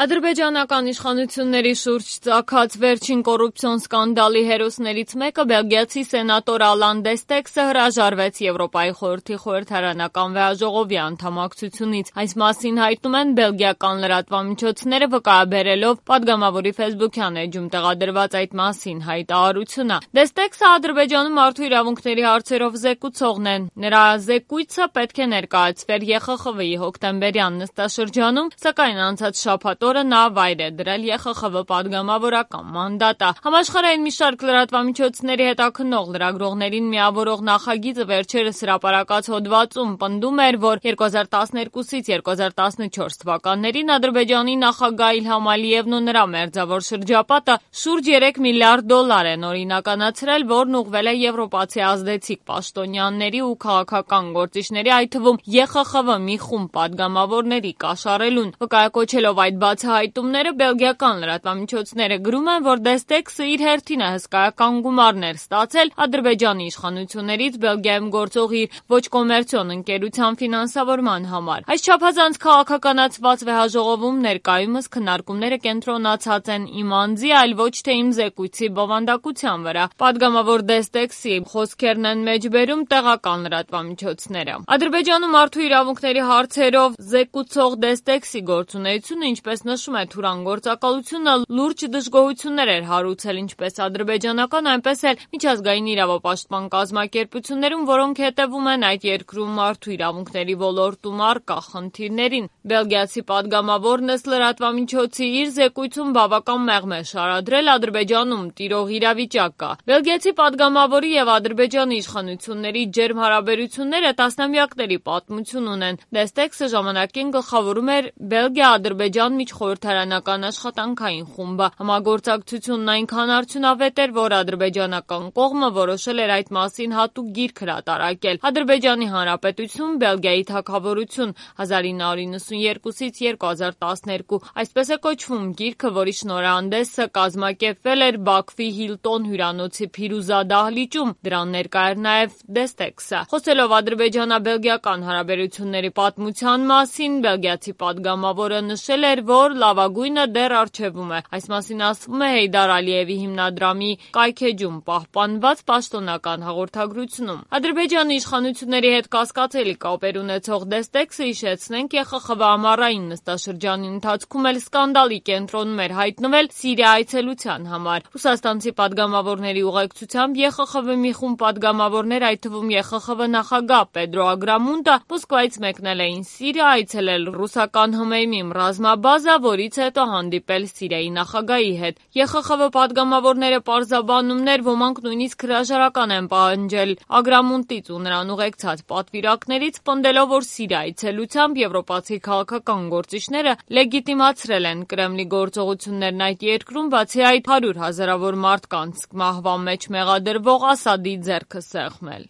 Ադրբեջանական իշխանությունների շուրջ ծագած վերջին կոռուպցիոն սկանդալի հերոսներից մեկը բելգիացի սենատոր Ալան Դեստեքսը հրաժարվեց Եվրոպայի խորհրդի խորհրդարանական վեհաժողովի անդամակցությունից։ Այս մասին հայտնում են բելգիական լրատվամիջոցները, վկայաբերելով պատգամավորի ֆեյսբուքյան էջում տեղադրված այդ մասին հայտարարությունը։ Դեստեքսը Ադրբեջանում մարդու իրավունքների հարցերով զեկուցողն է։ Նրա զեկույցը պետք է ներկայացվեր ԵԽԽՎ-ի հոկտեմբերյան նստաշրջանում, սակայն անցած շաբաթ նա վայր է դրել ԵԽԽՎ պատգամավորական մանդատը։ Համաշխարհային մի շարք լրատվամիջոցների հետաքննող լրագրողներին միավորող նախագիծը վերջերս հրապարակած հոդվածում պնդում էր, որ 2012-ից 2014 թվականներին Ադրբեջանի նախագահ Իլհամ Ալիևն ու նրա մերձավոր շրջապատը շուրջ 3 միլիարդ դոլար են օրինականացրել, որն ուղղվել է եվրոպացի ազդեցիկ պաշտոնյաների ու քաղաքական գործիչների, այդ թվում ԵԽԽՎ մի խումբ պատգամավորների կաշառելուն։ Վկայակոչելով այդ բացահայտումները, բելգիական լրատվամիջոցները գրում են, որ Դեստեքսը իր հերթին է հսկայական գումարներ ստացել Ադրբեջանի իշխանություններից Բելգիայում գործող իր ոչ կոմերցիոն ընկերության ֆինանսավորման համար։ Այս չափազանց քաղաքականացված վեհաժողովում ներկայումս քննարկումները կենտրոնացած են իմ անձի, այլ ոչ թե իմ զեկույցի բովանդակության վրա։ Պատգամավոր Դեստեքսի խոսքերն են մեջբերում տեղական լրատվամիջոցները։ Ադրբեջանում մարդու իրավունքների հարցերով զեկուցող Դեստեքսի գործունեությունը, ինչպես նշում է Թուրան գործակալությունը, լուրջ դժգոհություններ էր հարուցել ինչպես ադրբեջանական, այնպես էլ միջազգային իրավապաշտպան կազմակերպություններում, որոնք հետևում են այդ երկրում մարդու իրավունքների ոլորտում առկա խնդիրներին։ Բելգիացի պատգամավորն ըստ լրատվամիջոցի իր զեկույցում բավական մեղմ է շարադրել Ադրբեջանում տիրող իրավիճակը։ Բելգիացի պատգամավորի եւ Ադրբեջանի իշխանությունների ջերմ հարաբերությունները տասնամյակների պատմություն ունեն։ Դեստեքսը ժամանակին գլխավորում էր Բելգիա-Ադրբեջան միջխորհրդարանական աշխատանքային խումբը։ Համագործակցությունն այնքան արդյունավետ էր, որ ադրբեջանական կողմը որոշել էր այդ մասին հատուկ գիրք հրատարակել։ Ադրբեջանի Հանրապետություն, Բելգիայի թագավորություն 1992-ից 2012։ Այսպես է կոչվում գիրքը, որի շնորհանդեսը կազմակերպվել էր Բաքվի Հիլտոն հյուրանոցի Փիրուզա դահլիճում։ Դրան ներկա էր նաև Դեստեքսը։ Խոսելով ադրբեջանա-բելգիական հարաբերությունների պատմության մասին, բելգիացի պատգամավորը նշել էր, որ լավագույնը դեռ առջևում է։ Այս մասին ասվում է Հեյդար Ալիևի հիմնադրամի կայքէջում պահպանված պաշտոնական հաղորդագրությունում։ Ադրբեջանի իշխանությունների հետ կասկածելի կապեր ունեցող Դեստեքսը, հիշեցնենք, ԵԽԽՎ ամառային նստաշրջանի ընթացքում էլ սկանդալի կենտրոնում էր հայտնվել Սիրիա այցելության համար։ Ռուսաստանցի պատգամավորների ուղեկցությամբ ԵԽԽՎ մի խումբ պատգամավորներ, այդ թվում ԵԽԽՎ նախագահ Պեդրո Ագրամունդը, Մոսկվայից մեկնել էին Սիրիա, այցելել ռուսական ՀՄԷՄ ռազմաբազա, որից հետո հանդիպել Սիրիայի նախագահի հետ։ ԵԽԽՎ պատգամավորները պարզաբանումներ, ոմանք նույնիսկ հրաժարական են պահանջել Ագրամունդից ու նրան ուղեկցած պատվիրակներից, պնդելով, որ Սիրիա այցելությամբ եվրոպացի քաղաքական գործիչները լեգիտիմացրել են Կրեմլի գործողություններն այդ երկրում, բացի այդ 100 հազարավոր մարդկանց մահվան մեջ մեղադրվող Ասադի ձեռքը սեղմել։